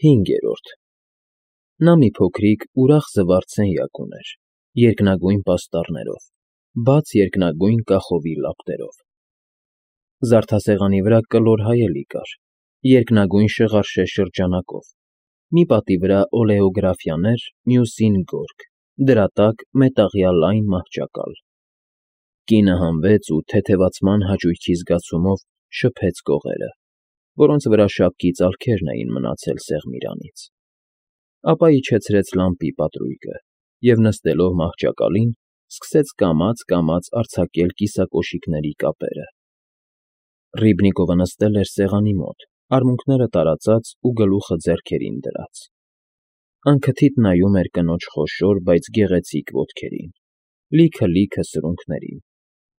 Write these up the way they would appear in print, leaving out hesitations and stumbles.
5-րդ Նա մի փոքրիկ, ուրախ զվարթ սենյակ ուներ, երկնագույն պաստառներով, բաց երկնագույն կախովի լապտերով. զարդասեղանի վրա կլոր հայելի կար, երկնագույն շղարշե շրջանակով, մի պատի վրա օլեոգրաֆիաներ, մյուսին գորգ, դրա տակ մետաղյա լայն մահճակալ. Կինը հանվեց ու թեթևացման հաճույքի զգացումով շփեց կողերը, որոնց վրա շապկի ծալքերն էին մնացել սեղմիրանից, ապա իջեցրեց լամպի պատրույգը և նստելով մահճակալին, սկսեց կամաց արձակել կիսակոշիկների կապերը. Ռիբնիկովը նստել էր սեղանի մոտ, արմունկները տարածած ու գլուխը ձեռքերին դրած. անքթիթ նայում էր կնոջ խոշոր, բայց գեղեցիկ ոտքերին, լիքը սրունքներին,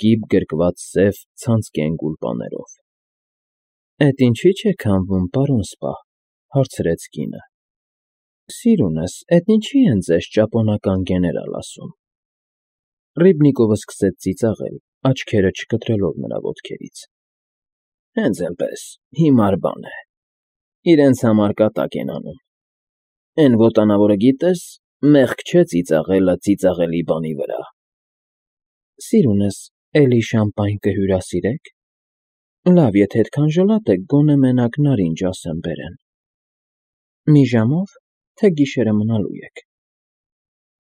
կիպ գրկված սև, ցանցկեն գուլպաներով։ ֊ Էդ ինչի՞չ եք հանվում, պարոն սպա,֊ հարցրեց կինը։ ֊ Սիրունս, էդ ինչի՞ են ձեզ ճապոնական գեներալ ասում։ Ռիբնիկովը սկսեց ծիծաղել, աչքերը չկտրելով նրա ոտքերից։ ֊ Հենց էնպես, հիմար բան է, իրենց համար կատակ են անում, էն ոտանավորը գիտես, մեղք չէ ծիծաղելը ծիծաղելի բանի վրա։ Սիրունս, էլի շամպայն կհյուրասիրեք։ Լավ, եթե էդքան ժլատ եք, գոնե մենակ նարինջ ասեմ բերեն։ Մի ժամո՞վ, թե գիշերը մնալու եք։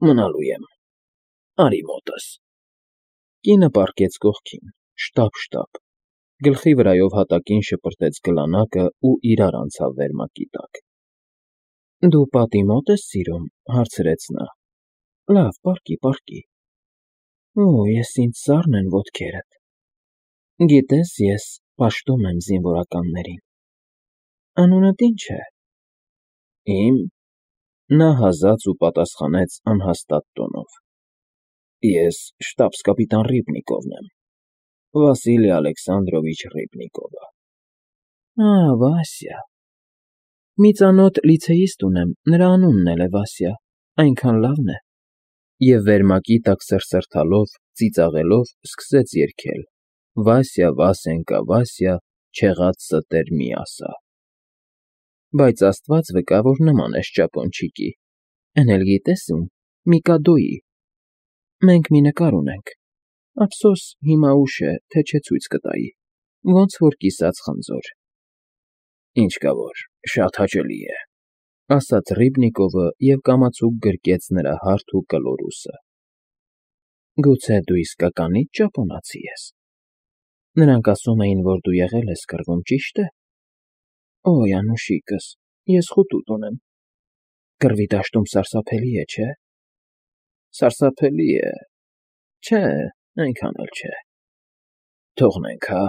Մնալու եմ, արի մոտս։ Կինը պառկեց կողքին, շտապ, գլխի վրայով հատակին շպրտեց գլանակը ու իրար անցավ վերմակի տակ։ Դու պատի մոտ ես սիրում, հարցրեց նա։ Լավ, պառկի։ Օ, ես ինձ սառն են ոտքերդ։ Գիտես, ես պաշտում եմ զինվորականներին։ Անունդ ի՞նչ է։ Իմ։ Նա հազաց ու պատասխանեց անհաստատ տոնով. Ես շտաբս֊կապիտան Ռիբնիկովն եմ, Վասիլի Ալեքսանդրովիչ Ռիբնիկովը։ Ա, Վասյա։ Մի ծանոթ լիցեիստ ունեմ, նրա անունն էլ է Վասյա, այնքան լավն է։ Եվ վերմակի տակ սրսրթալով, ծիծաղելով սկսեց երգել. Վասյա, Վասենկա, Վասյա, չեղած ստեր մի ասա։ Բայց Աստված վկա, որ նման ես ճապոնչիկի, էն էլ գիտես ում, Միկադոյի։ Մենք մի նկար ունենք, ափսոս, հիմա ուշ է, թե չէ ցույց կտայի, ոնց որ կիսած խնձոր։ Ինչ կա որ, շատ հաճելի է, ասաց Ռիբնիկովը և կամացուկ գրկեց նրա հարթ ու կլոր ուսը։ Գուցե դու իսկականից ճապոնացի ես։ Նրանք ասում էին, որ դու եղել ես կռվում, ճի՞շտ է։ Օй, անուշիկս, ես խուտուտ ունեմ։ Կռվի դաշտում սարսափելի է, չէ։ Սարսափելի է։ Չէ, այնքան էլ չէ։ Թողնենք, հա,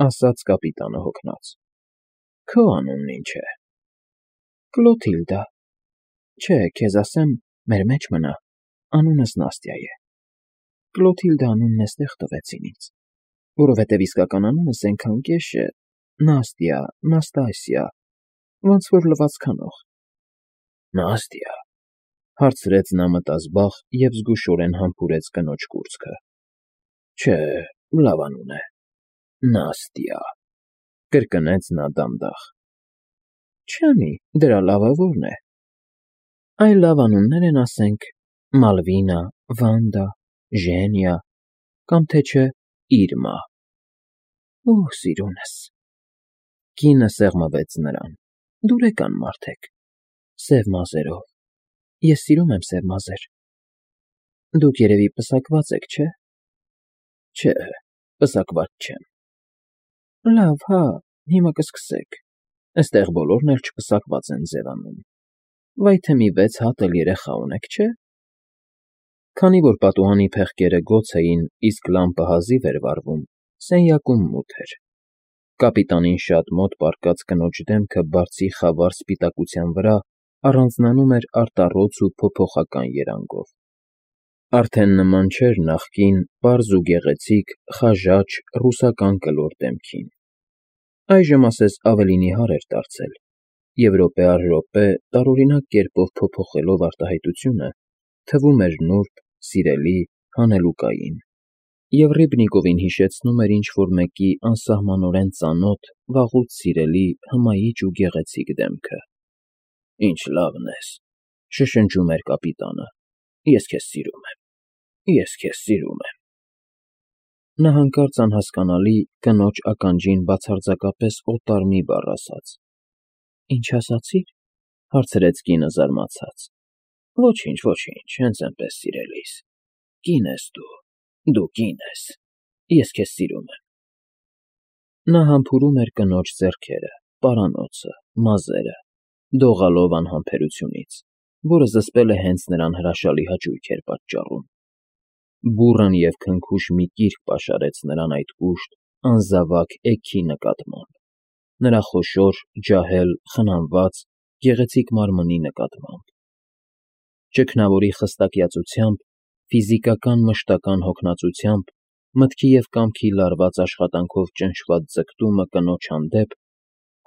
ասաց կապիտանը հոգնած։ Քո անունն ինչ է։ Կլոթիլդա։ Չէ, քեզ ասեմ, մեր մեջ մնա, անունս Նաստյա է։ Կլոթիլդա անունն էստեղ տվեցին ինձ, որովհետև իսկական անունս էնքան կեշ է, Նաստյա, Նաստասիա, ոնց որ լվացքանող։ Նաստյա, հարցրեց նա մտազբաղ և զգուշորեն համբուրեց կնոջ կուրծքը։ Չէ, լավ անուն է, Նաստյա, կրկնեց նա դանդաղ։ Չանի, դրա լավը որն է։ Այլ լավ անուններ են, ասենք, Մալվինա, Վանդա, Ժենիա, կամ թե չէ Իրմա։ Օ, սիրունս։ Կինը սեղմվեց նրան։ Դուրեկան մարդ եք, սև մազերով։ Ես սիրում եմ սև մազեր։ Դուք երևի պսակված եք, չէ։ Չէ, պսակված չեմ։ Լավ, հա, հիմա կսկսեք։ Էստեղ բոլորն էլ չպսակված են ձևանում։ Վայ թե մի 6 հատ էլ երեխա ունեք, չէ։ Քանի որ պատուհանի փեղկերը գոց էին, իսկ լամպը հազիվ էր վառվում, սենյակում մութ էր։ Կապիտանին շատ մոտ պառկած կնոջ դեմքը բարձի խավար սպիտակության վրա առանձնանում էր արտառոց ու փոփոխական երանգով։ Արդեն նման չէր նախկին պարզ ու գեղեցիկ, խաժաճ, ռուսական կլոր դեմքին։ Այժմ ասես ավելի նիհար էր դարձել և րոպե առ րոպե, տարօրինակ կերպով փոփոխելով արտահայտությունը, թվում էր նուրբ, սիրելի, հանելուկային, և Ռիբնիկովին հիշեցնում էր ինչ֊որ մեկի անսահմանորեն ծանոթ, վաղուց սիրելի, հմայիչ ու գեղեցիկ դեմքը։ Ինչ լավն ես,֊ շշնջում էր կապիտանը։֊ Ես քեզ սիրում եմ, ես քեզ սիրում եմ… Նա հանկարծ անհասկանալի կնոջ ականջին բացարձակապես օտար մի բառ ասաց։ «Ինչ ասացի՞ր,֊ հարցրեց կինը զարմացած։ Ոչինչ, ոչինչ, հենց այնպես, սիրելիս, կին ես դու կին ես, ես քեզ սիրում եմ…» Նա համբուրում էր կնոջ ձեռքերը, պարանոցը, մազերը, դողալով անհամբերությունից, որը զսպել է հենց նրան հրաշալի հաճույք էր պատճառում։ Բուռն և քնքուշ մի կիրք պաշարեց նրան այդ կուշտ, անզավակ էգի նկատմամբ, նրա խոշոր, ջահել, խնամված, գեղեցիկ մարմնի նկատմամբ։ Ճգնավորի խստակյացությամբ, ֆիզիկական մշտական հոգնածությամբ, մտքի և կամքի լարված աշխատանքով ճնշված ձգտումը կնոջ հանդեպ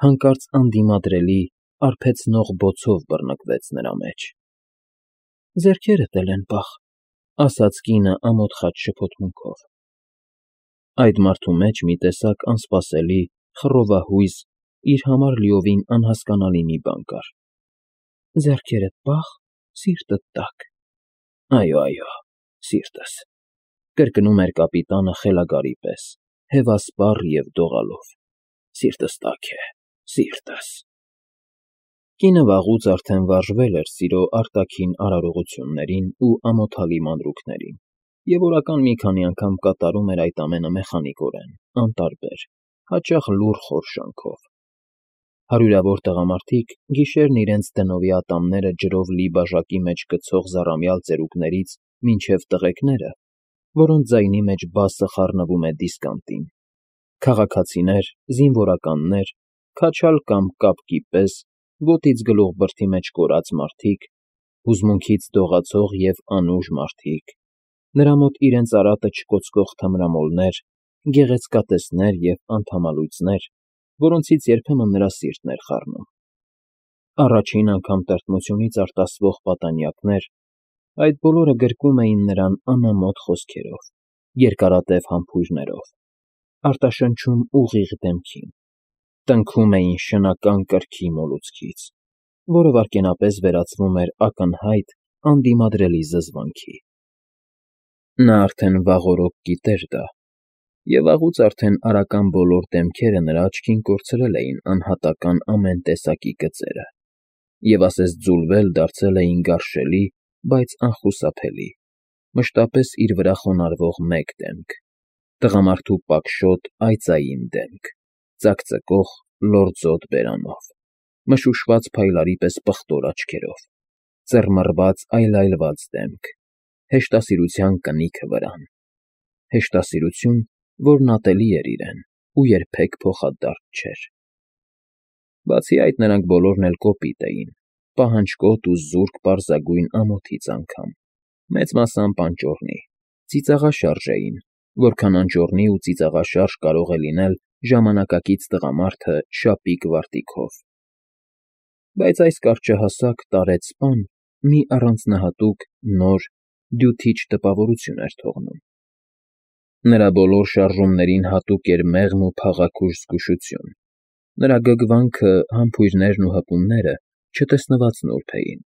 հանկարծ անդիմադրելի, արբեցնող բոցով բռնկվեց նրա մեջ։ «Ձեռքերդ էլ են պաղ,֊ ասաց կինը ամոթխած շփոթմունքով։ Այդ մարդու մեջ մի տեսակ անսպասելի, խռովահույզ, իր համար լիովին անհասկանալի մի բան կար։ «Ձեռքերդ պաղ, սիրտդ տաք…»։ Այո, սիրտս…֊ կրկնում էր կապիտանը խելագարի պես, հևասպառ և դողալով։֊ Սիրտս տաք է, սիրտս… Կինը վաղուց արդեն վարժվել էր սիրո արտաքին արարողություններին ու ամոթալի մանրուքներին և օրական մի քանի անգամ կատարում էր այդ ամենը մեխանիկորեն, անտարբեր, հաճախ լուռ խորշանքով։ Հարյուրավոր տղամարդիկ գիշերն իրենց դնովի ատամները ջրով լի բաժակի մեջ գցող զառամյալ ծերուկներից մինչև տղեկները, որոնց ձայնի մեջ բասը խառնվում է դիսկանտին, քաղաքացիներ, զինվորականներ, քաչալ կամ կապկի պես, ոտից գլուխ բրդի մեջ կորած մարդիկ, հուզմունքից դողացող և անուժ մարդիկ, նրա մոտ իրենց արատը չկոծկող թմրամոլներ, գեղեցկատեսներ և անդամալույծներ, որոնցից երբեմն նրա սիրտն էր խառնում։ Առաջին անգամ տրտմությունից արտասվող պատանյակներ, այդ բոլորը գրկում էին նրան անամոթ խոսքերով, երկարատև համբույրներով, արտաշնչում ուղիղ դեմքին, տնքում էին շնական կրքի մոլուցքից, որը վայրկենապես վերածվում էր ակնհայտ, անդիմադրելի զզվանքի։ Նա արդեն վաղօրոք գիտեր դա, և վաղուց արդեն արական բոլոր դեմքերը նրա աչքին կորցրել էին անհատական ամեն տեսակի գծերը և ասես ձուլվել դարձել էին գարշելի, բայց անխուսափելի, մշտապես իր վրա խոնարհվող մեկ դեմք, տղամարդու պակշոտ այծային դեմք, ծակծկող, լորձոտ բերանով, մշուշված փայլարի պես պղտոր աչքերով, ծռմռված այլայլված դեմք, հեշտասիրության կնիքը վրան, հեշտասիրություն, որն ատելի էր իրեն ու երբեք փոխադարձ չէր։ Բացի այդ, նրանք բոլորն էլ կոպիտ էին, պահանջկոտ ու զուրկ պարզագույն ամոթից անգամ, մեծ մասամբ անճոռնի, ծիծաղաշարժ էին, որքան անճոռնի ու ծիծաղաշարժ կարող է լինել ժամանակակից տղամարդը շապիկ վարտիքով։ Բայց այս կարճահասակ տարեց սպան մի առանձնահատուկ, նոր, դյութիչ տպավորություն էր թողնում։ Նրա բոլոր շարժումներին հատուկ էր մեղմ ու փաղաքուշ զգուշություն, նրա գգվանքը, համբույրներն ու հպումները չտեսնված նուրբ էին,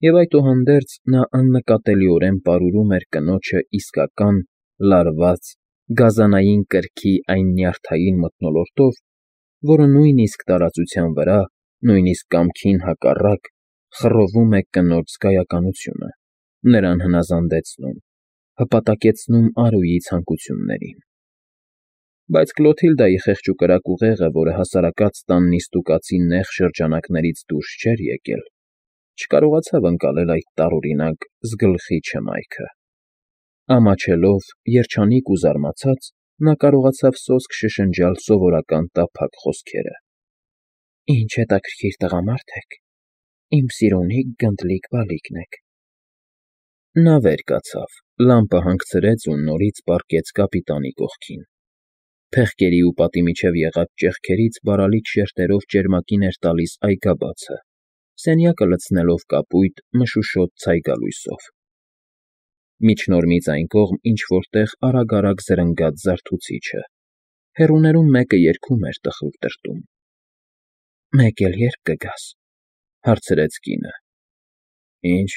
և այդուհանդերձ նա աննկատելիորեն պարուրում էր կնոջը իսկական, լարված, գազանային կրքի այն նյարդային մթնոլորտով, որը նույնիսկ տարածության վրա, նույնիսկ կամքին հակառակ, խռովում է կնոջ զգայականությունը, նրան հնազանդեցնում, հպատակեցնում Արուի ցանկություններին։ Բայց Կլոթիլդայի խեղճուկրակ ուղեղը, որը հասարակած տան նիստուկացի նեղ շրջանակներից դուրս չէր եկել, չկարողացավ ընկալել այդ տարօրինակ զգլխի չմայքը։ Ամաչելով, երջանիկ ու զարմացած, նա կարողացավ սոսկ շշնջալ սովորական տափակ խոսքերը. «Ինչ հետաքրքիր տղամարդ եք, իմ սիրունի գնդլիկ բալիկն եք»։ Նա վեր կացավ, լամպը հանգցրեց ու նորից պառկեց կապիտանի կողքին։ Փեղկերի ու պատի միջև եղած ճեղքերից բարալիկ շերտերով ճերմակին էր տալիս այգաբացը, սենյակը լցնելով կապույտ, մշուշոտ ցայգալույսով։ Միջնորմից այն կողմ ինչ֊որ տեղ արագ֊արագ զրնգաց զարթուցիչը, հեռուներում մեկը երգում էր տխուր տրտում։ «Մեկ էլ ե՞րբ կգաս, Հարցրեց կինը։ Ինչ,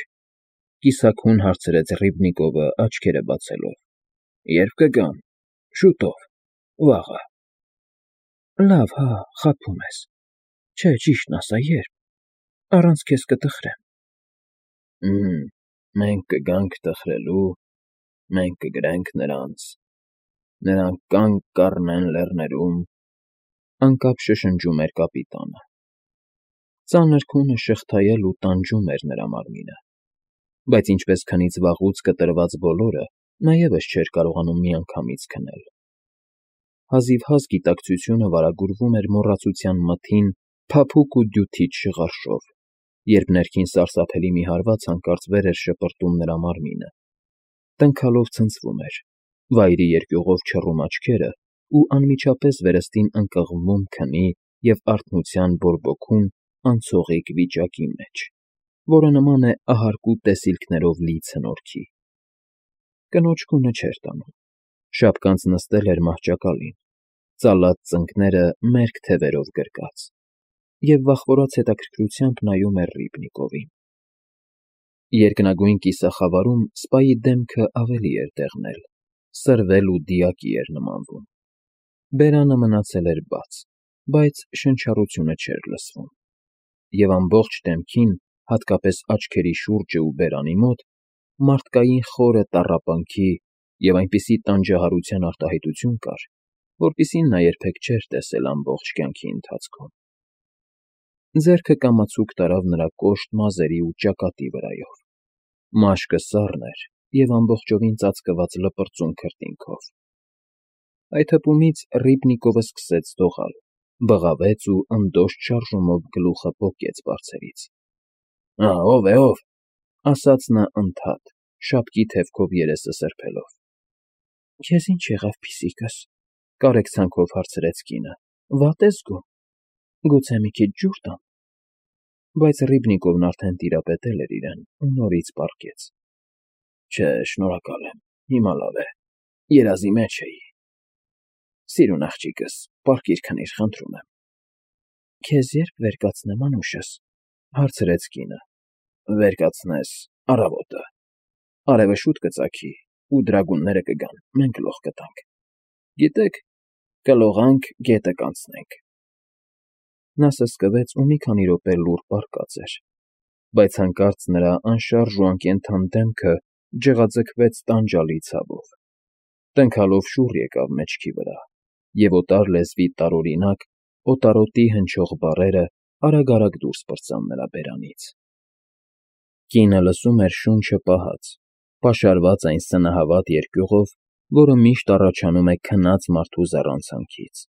կիսաքուն հարցրեց Ռիբնիկովը աչքերը բացելով։ Երբ կգան։ Շուտով, վաղը։ Լավ, հա, խաբում ես։ Չէ, ճիշտն ասա, երբ։ Առանց քեզ կտխրեմ։ Մենք կգանք տխրելու, մենք կգրենք նրանց։ Նրանք կանգ կառնեն լեռներում, անկապ շշնջում էր կապիտանը։ Ծանր քունը շղթայել ու տանջում էր նրա մարմինը, բայց ինչպես քնից վաղուց կտրված բոլորը, նա ևս չէր կարողանում միանգամից քնել։ Հազիվհազ գիտակցությունը վարագուրվում էր մոռացության մթին փափուկ ու դյութիչ շղարշով, երբ ներքին սարսափելի մի հարված հանկարծ վեր էր շպրտում նրա մարմինը, տնքալով ցնցվում էր, վայրի երկյուղով չռում աչքերը ու անմիջապես վերստին ընկղմվում քնի և արթնության բորբոքուն անցողիկ վիճակի մեջ, որը նման է ահարկու տեսիլքներով լի ցնորքի։ Կնոջ քունը չէր տանում, շապկանց նստել էր մահճակալին, ծալած ծնկները մերկ թևերով գրկած, և վախվորած հետաքրքրությամբ նայում էր Ռիբնիկովին։ Երկնագույն կիսախավարում սպայի դեմքը ավելի էր դեղնել, սրվել ու դիակի էր նմանվում։ Բերանը մնացել էր բաց, բայց շնչառությունը չէր լսվում, և ամբողջ դեմքին, հատկապես աչքերի շուրջը ու բերանի մոտ, մարդկային խորը տառապանքի և այնպիսի տանջահարության արտահայտություն կար, որպիսին նա երբեք չէր տեսել ամբողջ կյանքի ընթացքում։ Ձեռքը կամացուկ տարավ նրա կոշտ մազերի ու ճակատի վրայով։ Մաշկը սառն էր և ամբողջովին ծածկված լպրծուն քրտինքով։ Այդ հպումից Ռիբնիկովը սկսեց դողալ, բղավեց ու ընդոշտ շարժումով գլուխը պոկեց բարձրից։ Ով է, ով, ասաց նա ընդհատ, շապկի թևքով երեսը սրբելով։ Քեզ ինչ եղավ, փիսիկս, կարեկցանքով հարցրեց կինը։ Վատ ես զգում։ Գուցե մի քիչ ջուր տամ։ Բայց Ռիբնիկովն արդեն տիրապետել էր իրեն ու նորից պառկեց։ Չէ, շնորհակալ եմ, հիմա լավ է, երազի մեջ էի։ Սիրուն աղջիկս, պառկիր քնիր, խնդրում եմ։ Քեզ երբ վեր կացնեմ, անուշս, հարցրեց կինը։ Վեր կացնես առավոտը։ Արևը շուտ կծագի, ու դրագունները կգան, մենք լող կտանք։ Գիտեք, կլողանք, գետը կանցնենք։ Նա սսկվեց ու մի քանի րոպե լուռ պառկած էր, բայց հանկարծ նրա անշարժ ու անկենդան դեմքը ջղաձգվեց տանջալի ցավով։ Տնքալով շուռ եկավ մեջքի վրա, և օտար լեզվի տարօրինակ, օտարոտի հնչող բառերը արագ դուրս պրծան նրա բերանից։ Կինը լսում էր շունչը պահած, պաշարված այն սնահավատ երկյուղով, որը միշտ առաջանում է քնած մարդու զառանցանքից։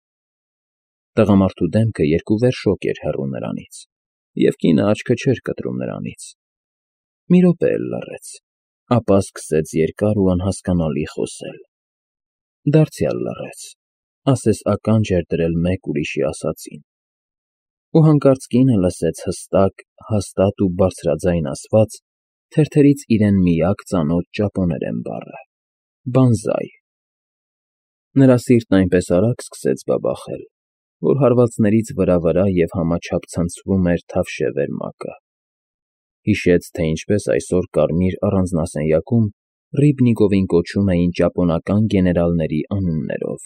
Տղամարդու դեմքը երկուվեռ շոգ էր հեռու նրանից, և կինը աչքը չէր կտրում նրանից։ Մի րոպե էլ լռեց, ապա սկսեց երկար ու անհասկանալի խոսել։ Դարձյալ լռեց, ասես ականջ էր դրել մեկ ուրիշի ասածին։ Ու հանկարծ կինը լսեց հստակ, հաստատ ու բարձրաձայն ասված, թերթերից իրեն միակ ծանոթ ճապոներեն բառը. «Բանզայ»։ Նրա սիրտն այնպես արագ սկսեց բաբախել, որ հարվածներից վրա և համաչափ ցնցվում էր թավշե վերմակը։ Հիշեց, թե ինչպես այսօր կարմիր առանձնասենյակում Ռիբնիկովին կոչում էին ճապոնական գեներալների անուններով,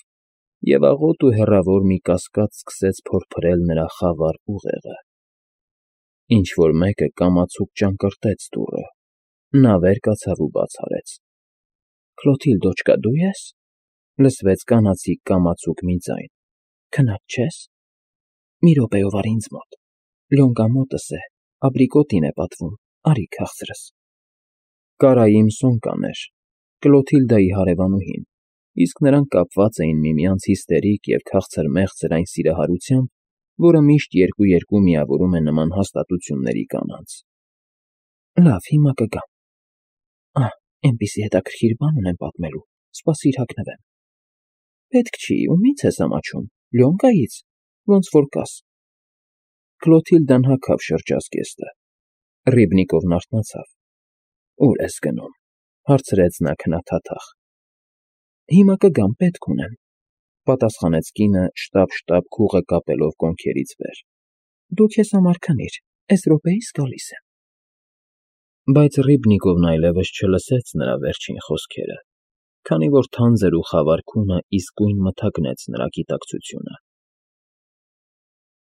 և աղոտ ու հեռավոր մի կասկած սկսեց փորփրել նրա խավար ուղեղը։ Ինչ֊որ մեկը կամացուկ ճանկռտեց դուռը։ Նա վեր կացավ ու բաց արեց։ Քլոթիլդոչկա, դու ե՞ս։ Լսվեց կանացիկ կամացուկ մի ձայն։ Քնած չե՞ս։ Մի րոպեով արի ինձ մոտ։ Լյոնկա մոտս է, աբրիկոտին է պատվում, արի քաղցրս։ Կարայիմ Սոնկան էր, Կլոթիլդայի հարևանուհին, իսկ նրանք կապված էին միմյանց հիստերիկ և քաղցր֊մեղցր այն սիրահարությամբ, որը միշտ երկու միավորում է նման հաստատությունների կանանց։ Լավ, հիմա կգամ։ Էնպիսի հետաքրքիր բան ունեմ պատմելու, սպասիր հագնվեմ։ Պետք չի, ումի՞ց ես ամաչում, Լյոնկայից, ոնց որ կաս։ Կլոթիլդան հագավ շրջազգեստը։ Ռիբնիկովն արթնացավ։ Ո՞ւր ես գնում, հարցրեց նա քնաթաթախ։ Հիմա կգամ, պետք ունեմ, պատասխանեց կինը շտապ-շտապ քուղը կապելով կոնքերից վեր։ Դու քեզ համար քնիր, Էս րոպեիս գալիս եմ։ Բայց Ռիբնիկովն այլևս չլսեց նրա վերջին խոսքերը, քանի որ թանձր ու խավար քունը իսկույն մթագնեց նրա գիտակցությունը։